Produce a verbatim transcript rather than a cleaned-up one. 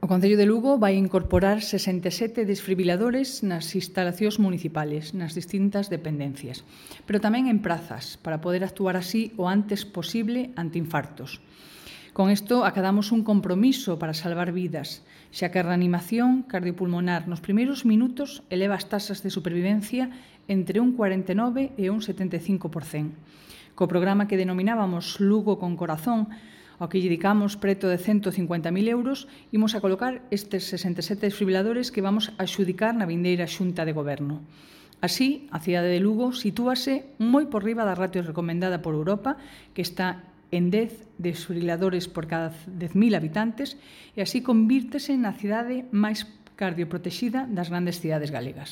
O Concello de Lugo vai incorporar sesenta e sete desfibriladores nas instalacións municipales, nas distintas dependencias, pero tamén en prazas, para poder actuar así o antes posible ante infartos. Con isto acadamos un compromiso para salvar vidas, xa que a reanimación cardiopulmonar nos primeiros minutos eleva as tasas de supervivencia entre un cuarenta e nove e un setenta e cinco por cento. Co programa que denominábamos Lugo con Corazón, ao que lle dedicamos preto de cento cincuenta mil euros, imos a colocar estes sesenta e sete desfibriladores que vamos a xudicar na vindeira Xunta de Goberno. Así, a cidade de Lugo sitúase moi por riba da ratio recomendada por Europa, que está en dez desfibriladores por cada dez mil habitantes, e así convírtese na cidade máis cardioprotexida das grandes cidades galegas.